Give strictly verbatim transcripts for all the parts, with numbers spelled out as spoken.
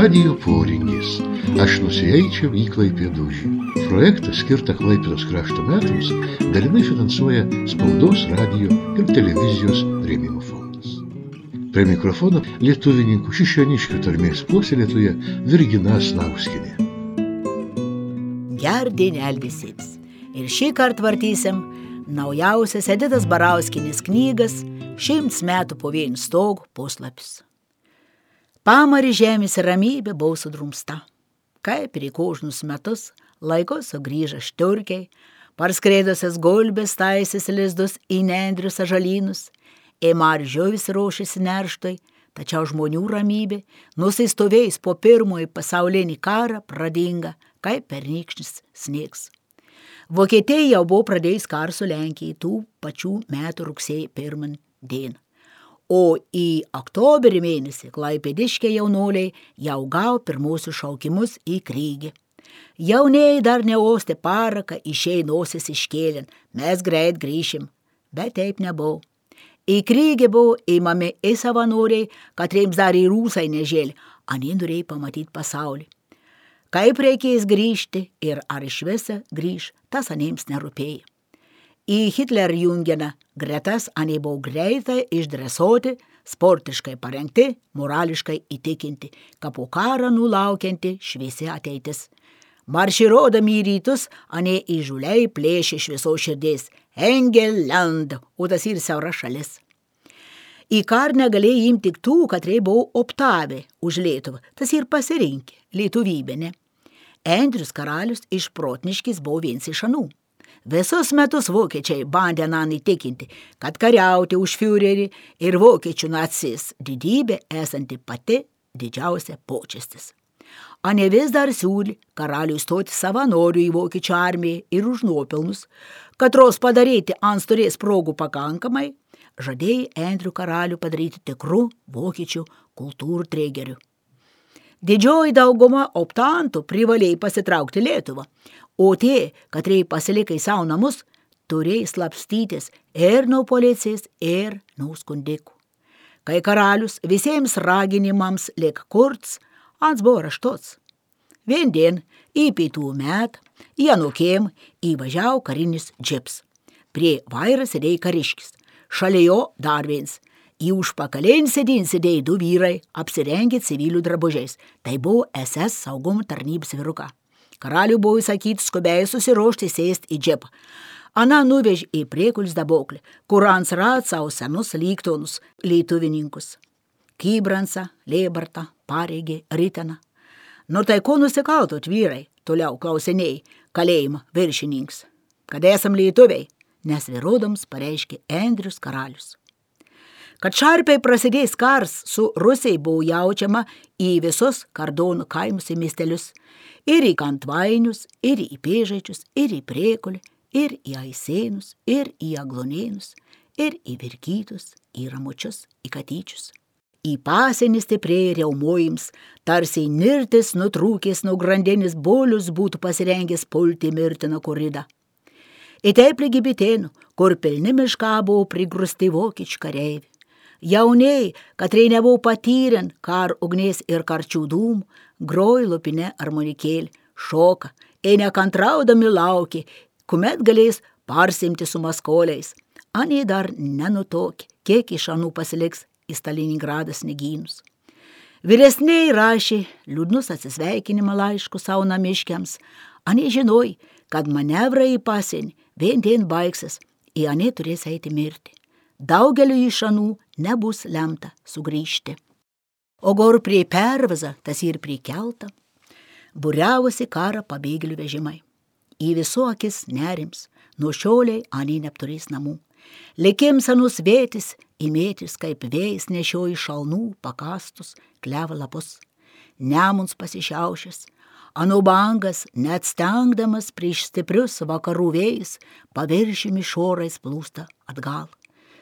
Radijo poringis. Aš nusieičiau į Klaipėdūžį. Projektą skirtą Klaipėdos krašto metams dalinai finansuoja Spaudos, radijo ir televizijos rėmimo fondas. Prie mikrofono lietuvininkų Šišioniškių tarmės puoselėtoja Virgina Snauskienė. Gerdienel visiems. Ir šį kartą vartysim naujausias Editos Barauskienės knygas Šimts metų po vienu stogu puslapis. Pamari žemės ramybė buvo sudrumsta. Kaip ir į kožnus metus laiko sugrįža šturkiai, parskreidusias gulbės taisės lizdus į nendrius ažalynus, ėmar žuvis ruošėsi nerštui, tačiau žmonių ramybė, nusistovėjus po pirmąjį pasaulinį karą, pradinga, kaip pernykštis sniegs. Vokietija jau buvo pradėjus karą su Lenkijai tų pačių metų rugsėjo pirmą dieną. O į oktoberį mėnesį klaipėdiškiai jaunoliai jau gavo pirmuosius šaukimus į krygį. Jaunieji dar neostė paraką, išėjai nosis iškėlin, mes greit grįšim, bet taip nebuvo. Į krygį buvo įmami į savanoriai, katriems dar į rūsai nežėlė, anie norėjo pamatyti pasaulį. Kaip reikės grįžti ir ar iš visą grįž, tas aniems nerūpėjo. Į Hitlerjungeną gretas anie buvo greitai išdresuoti, sportiškai parengti, morališkai įtikinti, kad po karą nulaukianti šviesi ateitis. Marširodami į rytus, anie įžuliai plėšė iš visos širdies Engelland, o tas ir siaura šalis. Į karą negalėjo imti tik tų, katrie buvo optavę už Lietuvą, tas ir pasirinkė lietuvybę, ne? Andrius Karalius iš Protniškis buvo viens iš anų. Visus metus vokiečiai bandė nan įtikinti, kad kariauti už Führerį ir vokiečių nacis didybė esanti pati didžiausia počestis. Anie vis dar siūlė karaliui stoti savanorių į vokiečių armiją ir už nuopelnus, katros padaryti antstorės progų pakankamai, žadėjo Andrių karalių padaryti tikrų vokiečių kultūrų tregerių. Didžioji dauguma optantų privalėjo pasitraukti Lietuvą, o tie, katrie pasilikai savo namus, turėjo slapstytis ir nuo policijos, ir nuo skundikų. Kai karalius visiems raginimams lik kurts, ans buvo raštots. Viendien į pietų metą į anūkėm įvažiavo karinis džips. Prie vairo sėdėjo kariškis, šalia jo dar viens. Į užpakalėn sėdin sėdėjo du vyrai, apsirengę civilių drabužiais. Tai buvo S S saugumo tarnybos vyruka. Karaliui buvo įsakyti skubiai susiruošti sėsti į džipą. Ana nuvežė į priekulis daboklį, kur ans rad savo senus lygtonus lietuvininkus. Kybransą, Lėbartą, Pareigį, Riteną. Nu tai ko nusikaltot vyrai, toliau klausinėjai, kalėjimo viršininks. Kad esam lietuviai, nes vyrodams pareiškė Andrius Karalius. Kad šarpiai prasidės kars su Rusijai buvo jaučiama į visus Kardonų kaimus ir miestelius, ir į Kantvainius, ir į Pėžaičius, ir į Priekulį, ir į Aisėnus, ir į Aglonėnus, ir į Virkytus, į Ramučius, į Katyčius. Į pasienį stipriai riaumojims, tarsi nirtis nutrūkęs nuo grandinės bolius būtų pasirengęs pulti mirtiną koridą. Į taip lygi Bitėnų, kur pilni mišką buvo prigrusti vokiečių kareivių. Jauniai, katrie nebuvo patyren kar ugnies ir karčių dūmų, groj lupine armonikėlį, šoka, ir nekantraudami laukė, kuomet galės parsimti su maskoliais. Anie dar nenutokė, kiek iš anų pasiliks į Stalingradą snegynus. Vyresniai rašė liūdnus atsisveikinimo laiškus savo namiškiams. Anie žinoj, kad manevrai į pasienį vien dien baigsis, į anie turės eiti mirti. Daugeliu iš anų nebus lemta sugrįžti. O gor prie pervazą, tas ir prie keltą, būriavosi karą pabėgėlių vežimai. Į visų akis nerims, nuo šioliai anie neapturės namų. Likims anus vėtis, įmėtis kaip vėjas nešioji šalnų, pakastus, kleva lapus. Nemuns pasišiaušęs, anų bangas, net stengdamas prieš stiprius vakarų vėjus, paviršimi šorais plūsta atgal.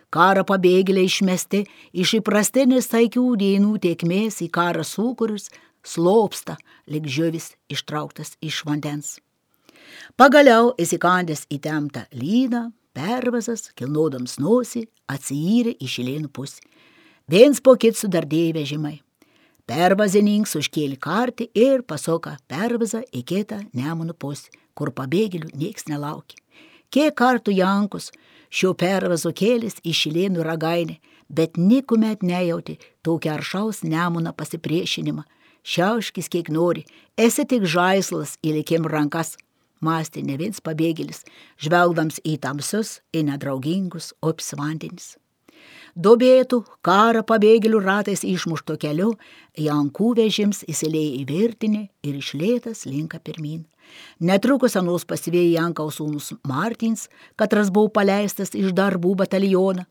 Karą pabėgėliai išmesti iš įprastinės taikių dienų tėkmės į karą sūkurius slopsta, lyg žuvis ištrauktas iš vandens. Pagaliau įsikandęs į temtą lyną, pervazas, kilnodams nosį, atsiyrė į Šilėnų pusę. Viens po kit sudardėjo vežimai. Pervazininks užkėlė kartį ir pasuka pervazą į kitą Nemuno pusę, kur pabėgėlių nieks nelaukia. Kiek kartų Jankus šio pervazo kėlės į Šilėnų ragainę, bet nikuomet nejauti tokį aršaus Nemuną pasipriešinimą. Šiauškis kiek nori, esi tik žaislas įlikim rankas, mąstė ne viens pabėgėlis, žvelgdams į tamsius, į nedraugingus opis vandenis. Dobėtų karą pabėgėlių ratais išmušto keliu, Jankų vežims įsilėjo į virtinį ir išlėtas linka pirmin. Netrukus anos pasivėjo Jankaus sūnus Martins, katras buvo paleistas iš darbų batalioną.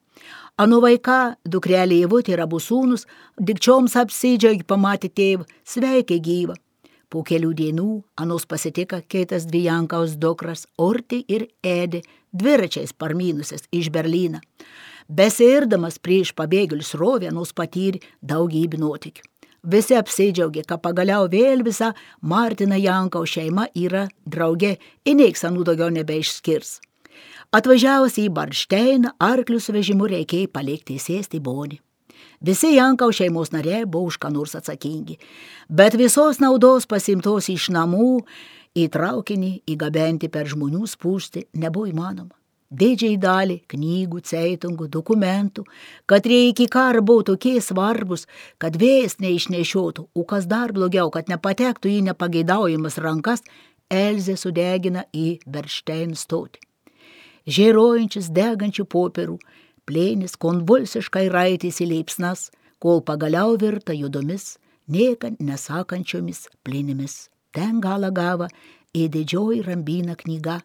Anu vaiką, dukrelė Ievutė ir abu sūnus, dikčioms apsidžiaugė pamatė tėvą, sveikė gyvą. Po kelių dienų anos pasitika kitas dvi Jankaus dukras, Urtė ir Edė, dviračiais parmynusias iš Berlyną. Besiirdamas prieš pabėgėlių srovę anos patyrė daugybę nuotykių. Visi apsidžiaugė, kad pagaliau vėl visa Martina Jankaus šeima yra drauge ir nieks anų daugiau nebeišskirs. Atvažiavus į Baršteiną, arklių su vežimu reikėjo palikti sėsti bonį. Visi Jankaus šeimos nariai buvo už ką nors atsakingi, bet visos naudos pasimtos iš namų į traukinį įgabenti per žmonių spūstį nebuvo įmanoma. Didžiai dalį knygų, ceitungų, dokumentų, kad iki karo buvo tokie svarbus, kad vėjas neišnešiotų, o kas dar blogiau, kad nepatektų į nepageidaujamas rankas, Elzė sudegina į Baršteinų stotį. Žėrojančius degančių popierų, plėnis konvulsiškai raitėsi liepsnas, kol pagaliau virta judomis, niekan nesakančiomis plėnimis. Ten galą gavo į didžioji Rambina knyga,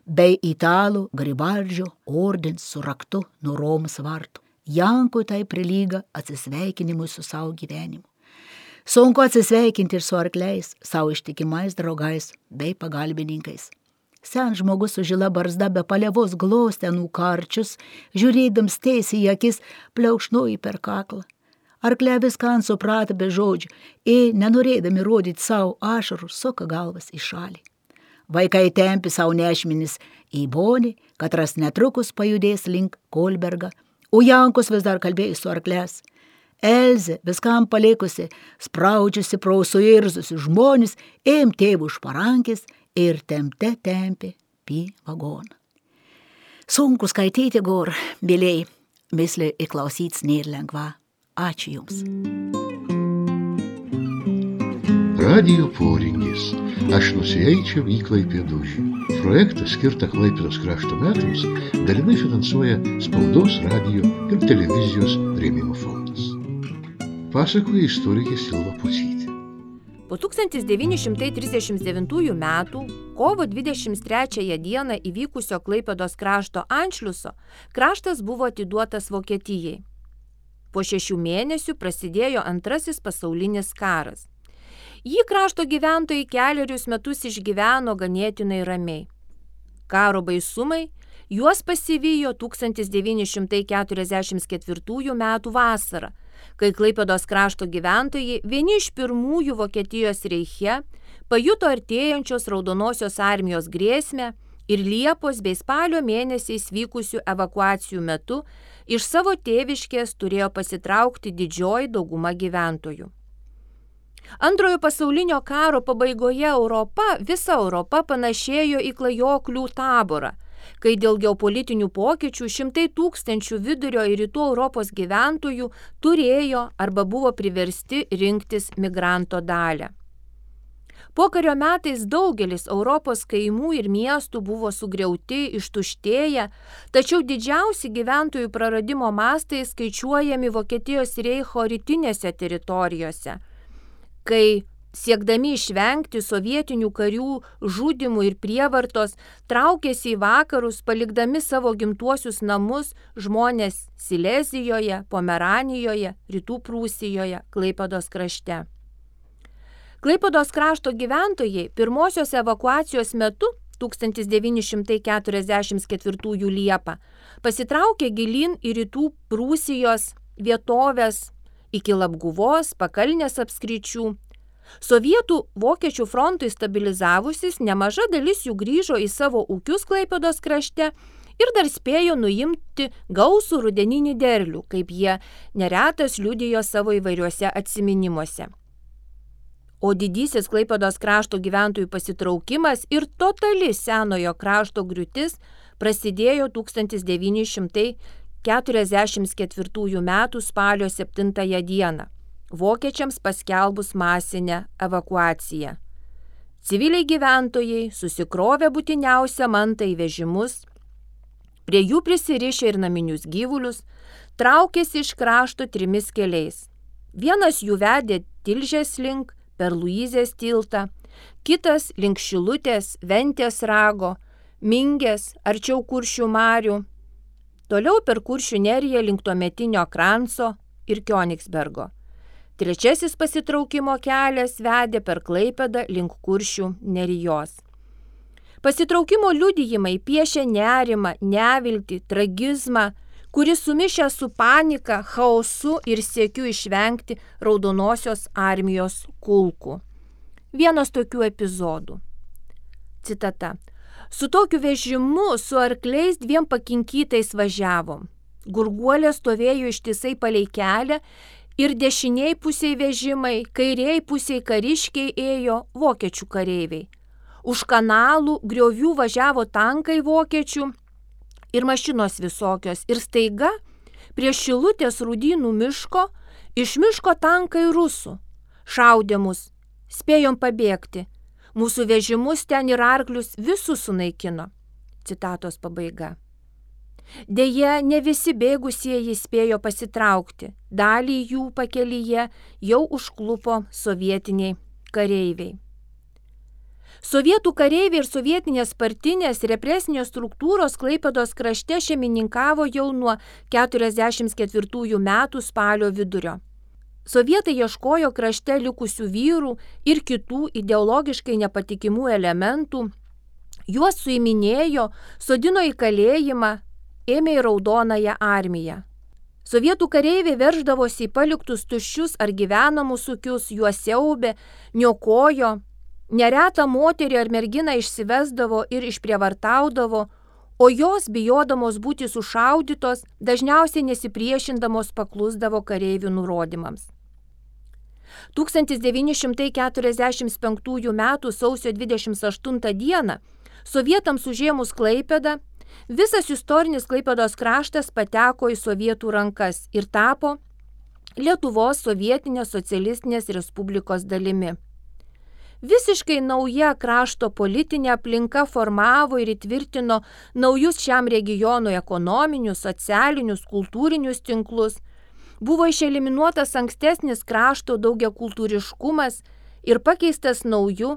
bei italų Garibaldžio ordins su raktu nuo Romos vartų. Jankui tai prilyga atsisveikinimui su savo gyvenimu. Sunku atsisveikinti ir su arkliais, savo ištikimais draugais bei pagalbininkais. Sen žmogus su žila barzda be palievos glostė anų karčius, žiūrėdams tiesiai į akis, pliaukšnojo per kaklą. Arkliai viską suprato be žodžių ir, nenorėdami rodyti savo ašarų, suka galvas į šalį. Vaikai tempi savo nešminis į bonį, katras netrukus pajudės link Kolbergą, o Jankus vis dar kalbėjo su arklės. Elzė, viskam palikusi, spraudžiusi pro suirzusi žmonės, ėm tėvų už parankės ir tempte tempi pį vagoną. Sunku skaityti, gor, mėlėjai, mislė įklausyts nėra lengva. Ačiū Jums. Radijo poringis. Aš nusieičiau į Klaipėdūžį. Projektą skirtą Klaipėdos krašto metams dalinai finansuoja Spaudos, radijo ir televizijos rėmimo fondas. Pasakoja istorikė Silva Pucytė. Po tūkstantis devyni šimtai trisdešimt devintųjų metų kovo dvidešimt trečiąją dieną įvykusio Klaipėdos krašto anšliuso kraštas buvo atiduotas Vokietijai. Po šešių mėnesių prasidėjo antrasis pasaulinis karas. Jį krašto gyventojai kelerius metus išgyveno ganėtinai ramiai. Karo baisumai juos pasivijo tūkstantis devyni šimtai keturiasdešimt ketvirtųjų metų vasarą, kai Klaipėdos krašto gyventojai vieni iš pirmųjų Vokietijos reiche pajuto artėjančios Raudonosios armijos grėsmę ir Liepos bei spalio mėnesiais vykusių evakuacijų metu iš savo tėviškės turėjo pasitraukti didžioji dauguma gyventojų. Antrojo pasaulinio karo pabaigoje Europa, visa Europa panašėjo į klajoklių taborą, kai dėl geopolitinių pokyčių šimtai tūkstančių vidurio ir rytų Europos gyventojų turėjo arba buvo priversti rinktis migranto dalią. Pokario metais daugelis Europos kaimų ir miestų buvo sugriauti, ištuštėję, tačiau didžiausi gyventojų praradimo mastai skaičiuojami Vokietijos reicho rytinėse teritorijose, kai siekdami išvengti sovietinių karių žudimų ir prievartos, traukėsi į vakarus, palikdami savo gimtuosius namus žmonės Silezijoje, Pomeranijoje, Rytų Prūsijoje, Klaipėdos krašte. Klaipėdos krašto gyventojai pirmosios evakuacijos metu tūkstantis devyni šimtai keturiasdešimt ketvirtųjų Liepą pasitraukė gilyn į Rytų Prūsijos vietovės iki Labguvos, Pakalnės apskričių. Sovietų vokiečių frontui stabilizavusis, nemaža dalis jų grįžo į savo ūkius Klaipėdos krašte ir dar spėjo nuimti gausų rudeninį derlių, kaip jie neretas liudijo savo įvairiuose atsiminimuose. o didysis Klaipėdos krašto gyventojų pasitraukimas ir totali senojo krašto griūtis prasidėjo tūkstantis devyni šimtai keturiasdešimt ketvirtųjų metų spalio septintąją dieną, vokiečiams paskelbus masinę evakuaciją. Civiliai gyventojai susikrovė būtiniausią mantą į vežimus, prie jų prisirišę ir naminius gyvulius, traukėsi iš krašto trimis keliais. Vienas jų vedė Tilžės link per Luizės tiltą, kitas link Šilutės, Ventės rago, Mingės, arčiau Kuršių marių, toliau per Kuršių neriją link tuometinio Kranco ir Kionigsbergo. Trečiasis pasitraukimo kelias vedė per Klaipėdą link Kuršių nerijos. Pasitraukimo liudijimai piešia nerimą, neviltį, tragizmą, kuris sumišę su panika, chaosu ir siekiu išvengti Raudonosios armijos kulkų. Vienas tokių epizodų. Citata. Su tokiu vežimu, su arkliais dviem pakinkytais važiavom. Gurguolė stovėjo ištisai palei kelią ir dešiniai pusiai vežimai, kairiai pusiai kariškiai ėjo vokiečių kareiviai. Už kanalų griovių važiavo tankai vokiečių ir mašinos visokios. Ir staiga prie Šilutės Rūdynų miško iš miško tankai rusų. Šaudė mus, spėjom pabėgti. Mūsų vežimus ten ir arklius visus sunaikino. Citatos pabaiga. Deja, ne visi bėgusieji spėjo pasitraukti. Dalį jų pakelyje jau užklupo sovietiniai kareiviai. Sovietų kareiviai ir sovietinės partinės represinės struktūros Klaipėdos krašte šeimininkavo jau nuo keturiasdešimt ketvirtųjų metų spalio vidurio. Sovietai ieškojo krašte likusių vyrų ir kitų ideologiškai nepatikimų elementų, juos suiminėjo, sodino į kalėjimą, ėmė į Raudonąją armiją. Sovietų kareiviai verždavosi į paliktus tuščius ar gyvenamus ūkius, juos siaubė, niokojo, neretą moterį ar merginą išsivesdavo ir išprievartaudavo, o jos, bijodamos būti sušaudytos, dažniausiai nesipriešindamos paklusdavo kareivių nurodymams. tūkstantis devyni šimtai keturiasdešimt penktųjų metų sausio dvidešimt aštuntą dieną sovietams užėmus Klaipėdą, visas istorinis Klaipėdos kraštas pateko į sovietų rankas ir tapo Lietuvos sovietinės socialistinės respublikos dalimi. Visiškai nauja krašto politinė aplinka formavo ir įtvirtino naujus šiam regionui ekonominius, socialinius, kultūrinius tinklus, buvo išeliminuotas ankstesnis krašto daugiakultūriškumas ir pakeistas nauju,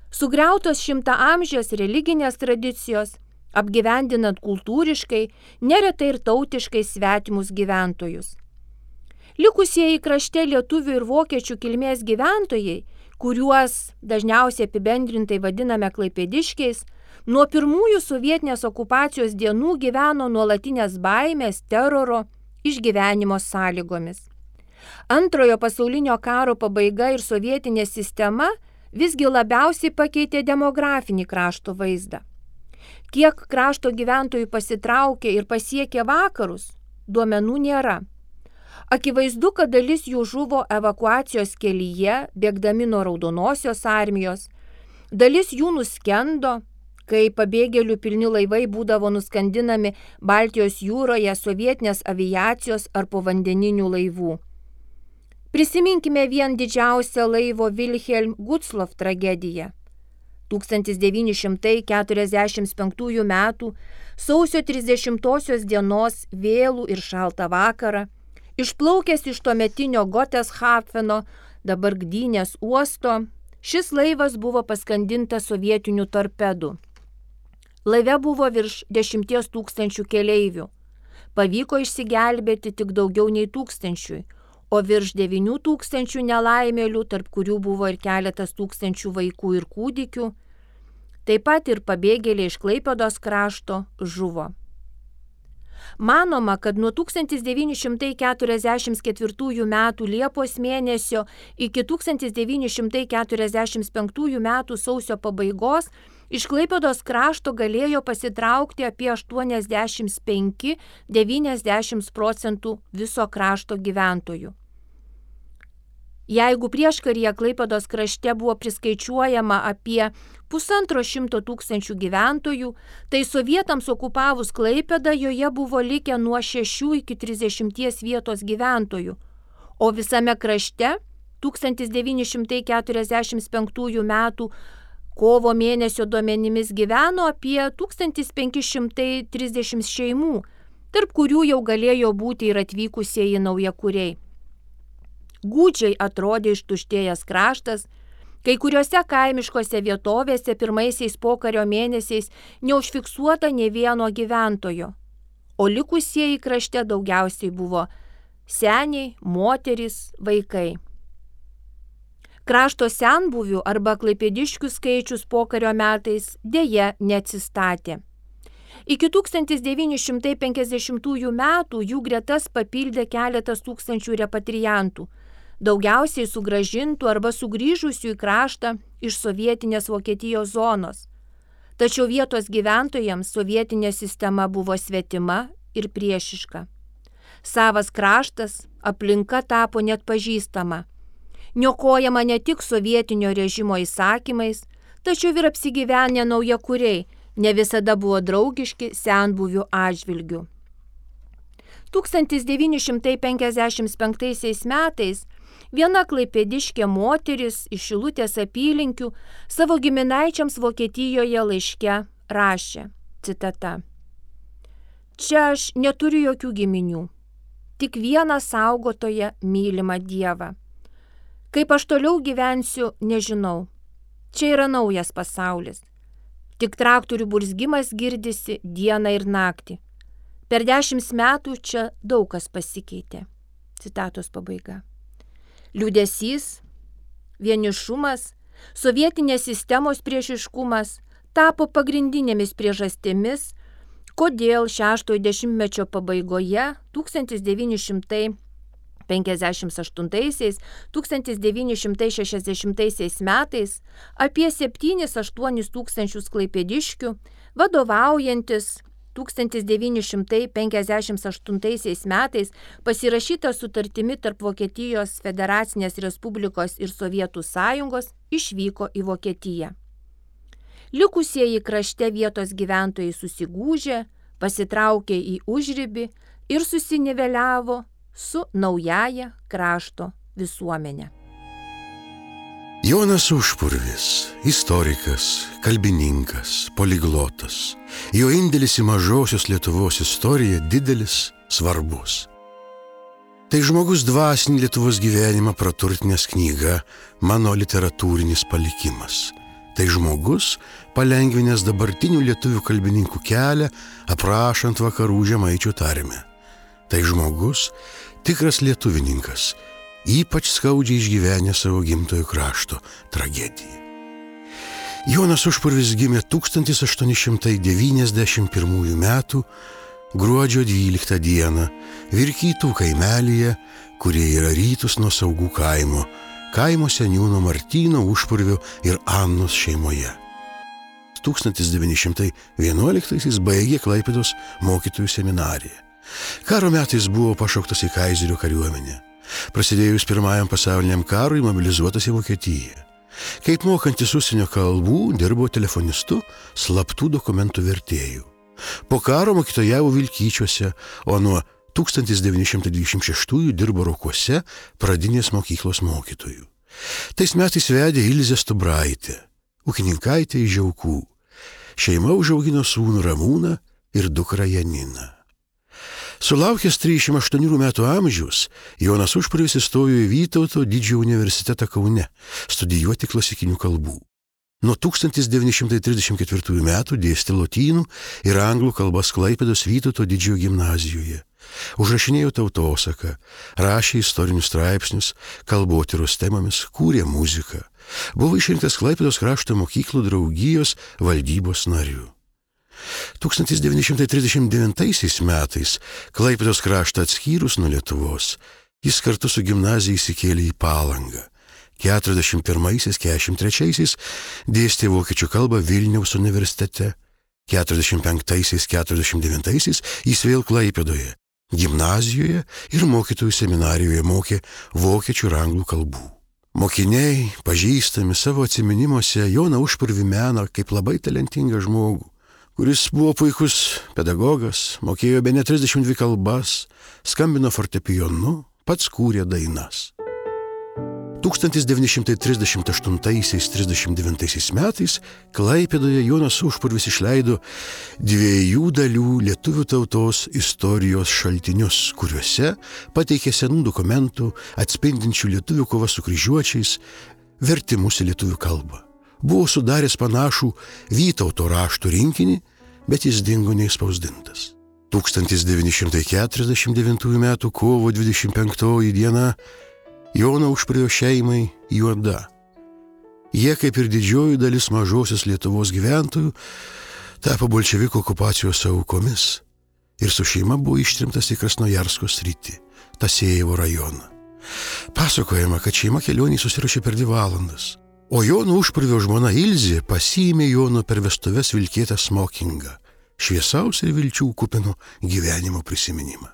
sugriautos šimtaamžės religinės tradicijos, apgyvendinant kultūriškai, neretai ir tautiškai svetimus gyventojus. Likusieji krašte lietuvių ir vokiečių kilmės gyventojai, kuriuos dažniausiai apibendrintai vadiname klaipėdiškiais, nuo pirmųjų sovietinės okupacijos dienų gyveno nuolatinės baimės, teroro, išgyvenimo sąlygomis. Antrojo pasaulinio karo pabaiga ir sovietinė sistema visgi labiausiai pakeitė demografinį krašto vaizdą. Kiek krašto gyventojų pasitraukė ir pasiekė vakarus, duomenų nėra. Akivaizdu, kad dalis jų žuvo evakuacijos kelyje, bėgdami nuo Raudonosios armijos, dalis jų nuskendo, kai pabėgėlių pilni laivai būdavo nuskandinami Baltijos jūroje sovietinės aviacijos ar povandeninių laivų. Prisiminkime vien didžiausią laivo Wilhelm Gustloff tragediją. tūkstantis devyni šimtai keturiasdešimt penktųjų metų sausio trisdešimtosios dienos vėlų ir šaltą vakarą, išplaukęs iš tuometinio Goteshafeno, dabar Gdynės uosto, šis laivas buvo paskandintas sovietinių torpedų. Laive buvo virš dešimties tūkstančių keleivių. Pavyko išsigelbėti tik daugiau nei tūkstančiui, o virš devynių tūkstančių nelaimėlių, tarp kurių buvo ir keletas tūkstančių vaikų ir kūdikių, taip pat ir pabėgėliai iš Klaipėdos krašto žuvo. Manoma, kad nuo tūkstantis devyni šimtai keturiasdešimt ketvirtųjų metų Liepos mėnesio iki tūkstantis devyni šimtai keturiasdešimt penktųjų metų sausio pabaigos iš Klaipėdos krašto galėjo pasitraukti apie aštuoniasdešimt penki iki devyniasdešimt procentų viso krašto gyventojų. Jeigu prieškaryje Klaipėdos krašte buvo priskaičiuojama apie pusantro šimto tūkstančių gyventojų, tai sovietams okupavus Klaipėdą joje buvo likę nuo šešių iki trisdešimties vietos gyventojų, o visame krašte tūkstantis devyni šimtai keturiasdešimt penktųjų metų kovo mėnesio duomenimis gyveno apie tūkstantis penki šimtai trisdešimt šeimų, tarp kurių jau galėjo būti ir atvykusieji naujakuriai. Gūdžiai atrodė ištuštėjęs kraštas, kai kuriuose kaimiškose vietovėse pirmaisiais pokario mėnesiais neužfiksuota nė vieno gyventojo, o likusieji krašte daugiausiai buvo seniai, moterys, vaikai. Krašto senbuvių arba klaipėdiškių skaičius pokario metais dėja neatsistatė. Iki tūkstantis devyni šimtai penkiasdešimtųjų metų jų gretas papildė keletas tūkstančių repatriantų, daugiausiai sugrąžintų arba sugrįžusių į kraštą iš sovietinės Vokietijos zonos. Tačiau vietos gyventojams sovietinė sistema buvo svetima ir priešiška. Savas kraštas, aplinka tapo net pažįstama. Niokojama ne tik sovietinio režimo įsakymais, tačiau ir apsigyvenę naujakuriai ne visada buvo draugiški senbuvių atžvilgių. tūkstantis devyni šimtai penkiasdešimt penktaisiais metais viena klaipėdiškė moteris iš Šilutės apylinkių savo giminaičiams Vokietijoje laiške rašė, citata: "Čia aš neturiu jokių giminių, tik vieną saugotoją mylimą Dievą. Kaip aš toliau gyvensiu, nežinau. Čia yra naujas pasaulis. Tik traktorių burzgimas girdisi dieną ir naktį. Per dešimt metų čia daug kas pasikeitė." Citatos pabaiga. Liūdesys, vienišumas, sovietinės sistemos priešiškumas tapo pagrindinėmis priežastimis, kodėl šeštojo dešimtmečio pabaigoje tūkstantis devyni šimtai penkiasdešimt aštuntaisiais - tūkstantis devyni šimtai šešiasdešimtaisiais metais apie septynis aštuonis tūkstančius klaipėdiškių, vadovaujantis tūkstantis devyni šimtai penkiasdešimt aštuntaisiais metais pasirašyta sutartimi tarp Vokietijos Federacinės Respublikos ir Sovietų Sąjungos, išvyko į Vokietiją. Likusieji krašte vietos gyventojai susigūžė, pasitraukė į užribį ir susiniveliavo su naujaja krašto visuomenė. Jonas Užpurvis, istorikas, kalbininkas, poliglotas. Jo indėlis į mažosios Lietuvos istoriją didelis, svarbus. Tai žmogus dvasinį Lietuvos gyvenimą praturtinęs knyga Mano literatūrinis palikimas. Tai žmogus palengvinęs dabartinių lietuvių kalbininkų kelią, aprašant vakarų žemaičių tarmę. Tai žmogus tikras lietuvininkas, ypač skaudžiai išgyvenę savo gimtojo krašto tragediją. Jonas Užpurvis gimė tūkstantis aštuoni šimtai devyniasdešimt pirmųjų metų gruodžio dvyliktą dieną Virkytų kaimelyje, kurie yra rytus nuo Saugų kaimo, kaimo seniūno Martyno Užpurvio ir Annos šeimoje. tūkstantis devyni šimtai vienuoliktaisiais baigė Klaipėdos mokytojų seminariją. Karo metais buvo pašauktas į kaizerio kariuomenę. Prasidėjus pirmajam pasauliniam karui mobilizuotas į Vokietiją. Kaip mokantis užsienio kalbų, dirbo telefonistu, slaptų dokumentų vertėjų. Po karo mokytojavo Vilkyčiuose, o nuo tūkstantis devyni šimtai dvidešimt šeštųjų dirbo Rokuose pradinės mokyklos mokytojų. Tais metais vedė Ilzė Stubraitė, ūkininkaitė iš Žiaukų. Šeima užaugino sūnų Ramūną ir dukrą Janiną. Sulaukęs trisdešimt aštuonių metų amžiaus, Jonas Užpurvis įstojo į Vytauto didžiojo universitetą Kaune studijuoti klasikinių kalbų. Nuo tūkstantis devyni šimtai trisdešimt ketvirtųjų metų dėstė lotynų ir anglų kalbas Klaipėdos Vytauto didžiojo gimnazijoje. Užrašinėjo tautosaką, rašė istorinius straipsnius, kalbotyros temomis, kūrė muziką. Buvo išrinktas Klaipėdos krašto mokyklų draugijos valdybos nariu. tūkstantis devyni šimtai trisdešimt devintaisiais metais Klaipėdos kraštą atskyrus nuo Lietuvos, jis kartu su gimnazija įsikėlė į Palangą. keturiasdešimt pirmaisiais - keturiasdešimt trečiaisiais dėstė vokiečių kalbą Vilniaus universitete. keturiasdešimt penktaisiais - keturiasdešimt devintaisiais jis vėl Klaipėdoje, gimnazijoje ir mokytojų seminarijoje mokė vokiečių ir anglų kalbų. Mokiniai, pažįstami savo atsiminimuose Joną Užpurvį mena kaip labai talentingą žmogų, kuris buvo puikus pedagogas, mokėjo bene trisdešimt dvi kalbas, skambino fortepijonu, pats kūrė dainas. tūkstantis devyni šimtai trisdešimt aštuntaisiais - trisdešimt devintaisiais metais Klaipėdoje Jonas Užpurvis išleido dviejų dalių lietuvių tautos istorijos šaltinius, kuriuose pateikė senų dokumentų atspindinčių lietuvių kovą su kryžiuočiais vertimus į lietuvių kalbą. Buvo sudaręs panašų Vytauto raštų rinkinį, bet jis dingo neišspausdintas. tūkstantis devyni šimtai keturiasdešimt devintųjų metų kovo dvidešimt penktoji diena Jono Užpurvio šeimai juoda. Jie, kaip ir didžioji dalis mažosios Lietuvos gyventojų, tapo bolševikų okupacijos aukomis ir su šeima buvo ištrimtas į Krasnojarsko sritį, Tasėjevo rajoną. Pasakojama, kad šeima kelionį susirašė per dvi valandas, o Jono Užpurvio žmona Ilzė pasiėmė Jono per vestuves vilkėtą smokingą, šviesaus ir vilčių kupino gyvenimo prisiminimą.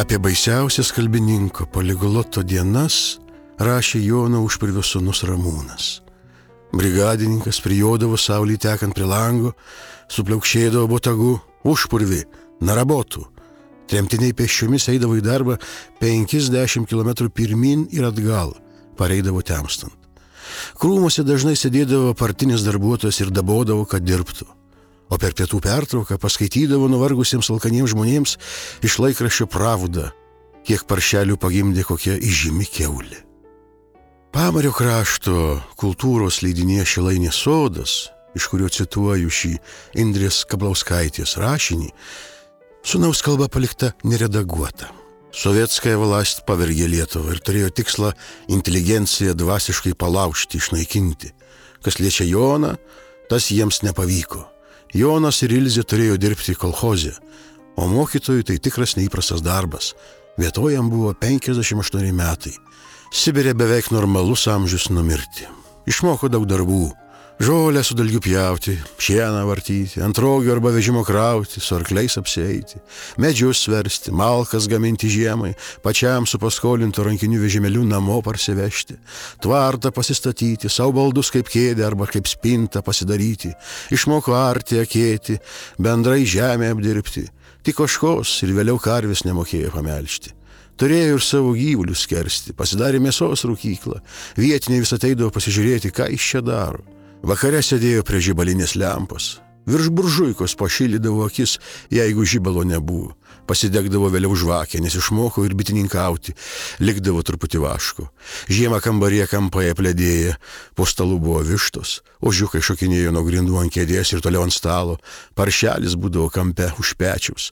Apie baisiausias kalbininko poligloto dienas rašė Jono Užpurvio sūnus Ramūnas. Brigadininkas prijodavo saulį tekant prie lango, supliaukšėdavo botagu: Užpurvi, narabotų. Tremtiniai pėsčiomis eidavo į darbą penkiasdešimt kilometrų pirmin ir atgal, pareidavo temstant. Krūmuose dažnai sėdėdavo partinis darbuotojas ir dabodavo, kad dirbtų. O per pietų pertrauką paskaitydavo nuvargusiems alkaniems žmonėms iš laikraščio Pravda, kiek paršelių pagimdė kokia įžymi kiaulė. Pamario krašto kultūros leidinėje Šilainės sodas, iš kurio cituoju šį Indrės Kablauskaitės rašinį, sūnaus kalba palikta neredaguota. Sovietskaya vlast pavergė Lietuvą ir turėjo tikslą inteligenciją dvasiškai palaužti, išnaikinti. Kas liečia Joną, tas jiems nepavyko. Jonas ir Ilzė turėjo dirbti kolchoze, o mokytojui tai tikras neįprastas darbas. Vietoj jam buvo penkiasdešimt aštuoni metai. Sibire beveik normalus amžius numirti. Išmoko daug darbų. Žolę su dalgiu pjauti, šieną vartyti, ant rogių arba vežimo krauti, su arkliais apsieiti, medžius sversti, malkas gaminti žiemai, pačiam su paskolintu rankiniu vežimeliu namo parsivežti, tvartą pasistatyti, savo baldus kaip kėdę arba kaip spintą pasidaryti, išmoko arti, akėti, bendrai žemę apdirbti, tik ožkos ir vėliau karvės nemokėjo pamelžti. Turėjo ir savo gyvulius skersti, pasidarė mėsos rūkyklą, vietiniai vis ateidavo pasižiūrėti, ką jis čia daro. Vakare sėdėjo prie žibalinės lempos. Virš buržuikos pašildydavo akis, jeigu žibalo nebuvo. Pasidegdavo vėliau žvakę, nes išmoko ir bitininkauti, likdavo truputį vaško. Žiemą kambaryje kampai apledėję, po stalu buvo vištos, ožiukai šokinėjo nuo grindų ant kėdės ir toliau ant stalo, paršelis būdavo kampe už pečiaus.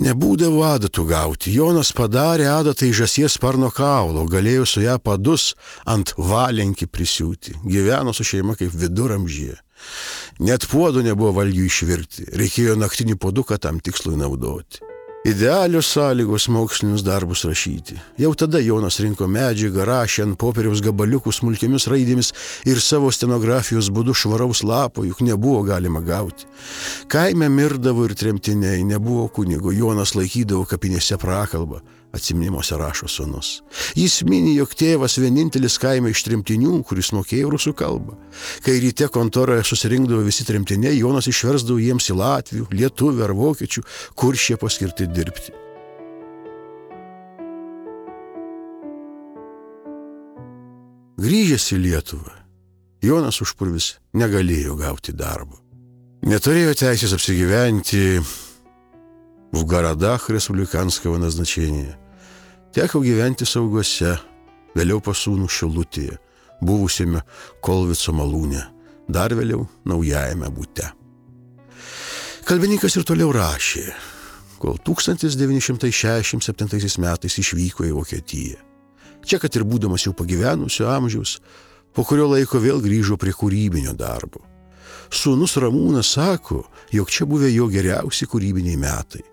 Nebūdavo adatų gauti. Jonas padarė adatą į žąsies sparno kaulo, galėjo su ją padus ant valenkį prisiūti. Gyveno su šeima kaip viduramžyje. Net puodų nebuvo valgių išvirti, reikėjo naktinį puoduką tam tikslui naudoti. Idealios sąlygos mokslinius darbus rašyti. Jau tada Jonas rinko medžiagą, rašė ant popieriaus gabaliukų smulkiomis raidėmis ir savo stenografijos būdu švaraus lapo, juk nebuvo galima gauti. Kaime mirdavo ir tremtiniai, nebuvo kunigo, Jonas laikydavo kapinėse prakalbą, atsiminimuose rašo sūnus. Jis mini, jog tėvas vienintelis kaime iš tremtinių, kuris mokėjo rusų kalbą. Kai ryte kontoroje susirinkdavo visi tremtiniai, Jonas išversdavo jiems į latvių, lietuvių ar vokiečių, kur šie paskirti dirbti. Grįžęs į Lietuvą, Jonas Užpurvis negalėjo gauti darbo. Neturėjo teisės apsigyventi в городах республиканского назначения. Teko gyventi Sauguose, vėliau pasūnų Šilutėje, buvusiame Kolvico malūne, dar vėliau naujajame bute. Kalbininkas ir toliau rašė, kol tūkstantis devyni šimtai šešiasdešimt septintaisiais metais išvyko į Vokietiją. Čia, kad ir būdamas jau pagyvenusio amžiaus, po kurio laiko vėl grįžo prie kūrybinio darbo. Sūnus Ramūnas sako, jog čia buvę jo geriausi kūrybiniai metai.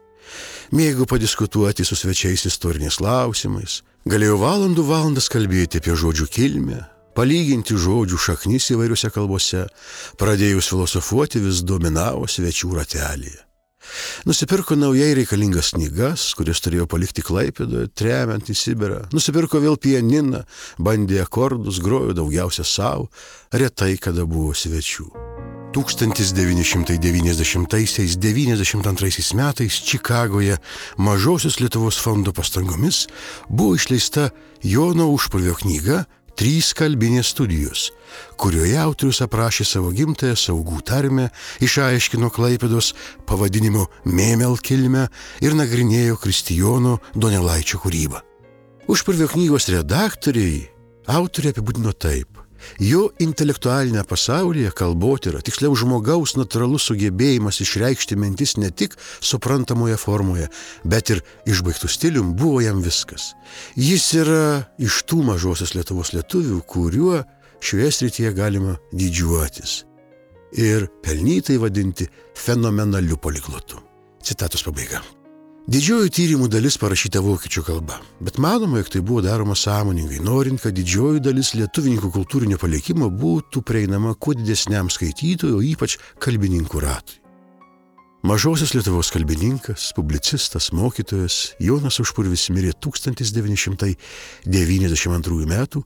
Mėgo padiskutuoti su svečiais istoriniais klausimais, galėjo valandų valandas kalbėti apie žodžių kilmę, palyginti žodžių šaknis įvairiuose kalbose, pradėjus filosofuoti vis dominavo svečių ratelėje. Nusipirko naujai reikalingas knygas, kurias turėjo palikti Klaipėdoje, tremiant į Sibirą. Nusipirko vėl pianiną, bandė akordus, grojo daugiausia savo, retai kada buvo svečių. tūkstantis devyni šimtai devyniasdešimtaisiais - devyniasdešimt antraisiais metais Čikagoje Mažosios Lietuvos fondo pastangomis buvo išleista Jono Užpurvio knyga Trys kalbinės studijos, kurioje autorius aprašė savo gimtąją saugų tarmę, išaiškino Klaipėdos pavadinimo Mėmel kilmę ir nagrinėjo Kristijono Donelaičio kūrybą. Užpurvio knygos redaktoriai autorė apibūdino taip: jo intelektualinė pasaulyje kalbotyra, tiksliau žmogaus natūralus sugebėjimas išreikšti mintis ne tik suprantamoje formoje, bet ir išbaigtų stilium buvo jam viskas. Jis yra iš tų Mažosios Lietuvos lietuvių, kuriuo šioje srityje galima didžiuotis ir pelnytai vadinti fenomenaliu poliglotu. Citatos pabaiga. Didžioji tyrimų dalis parašyta vokiečių kalba, bet manoma, jog tai buvo daroma sąmoningai, norint, kad didžioji dalis lietuvininkų kultūrinio palikimo būtų prieinama kuo didesniam skaitytojų, ypač kalbininkų ratui. Mažosios Lietuvos kalbininkas, publicistas, mokytojas Jonas Užpurvis mirė tūkstantis devyni šimtai devyniasdešimt antrųjų metų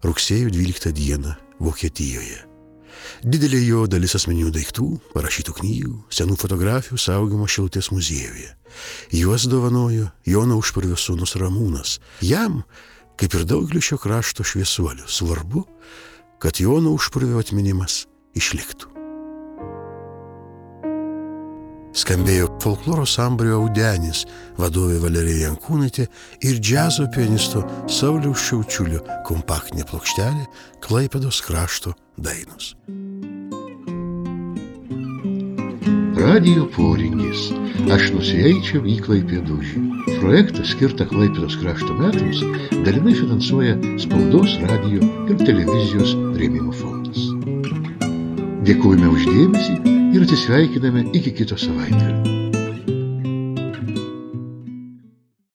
rugsėjo dvyliktą dieną Vokietijoje. Didelė jo dalis asmeninių daiktų, parašytų knygų, senų fotografijų saugoma Šilutės muziejuje. Juos dovanojo Jono Užpurvio sūnus Ramūnas. Jam, kaip ir daugeliu šio krašto šviesuolių, svarbu, kad Jono Užpurvio atminimas išliktų. Skambėjo folkloro sambūrio Audenis vadovė Valerija Jankūnaitė ir džiazo pianisto Sauliaus Šiaučiulio kompaktinė plokštelė Klaipėdos krašto dainos. Radijo poringis. Aš nusieičiau į Klaipėdūžį. Projektą skirtą Klaipėdos krašto metams dalinai finansuoja Spaudos, radijo ir televizijos rėmimo fondas. Dėkojame už dėmesį ir atsisveikiname iki kito savaitgalio.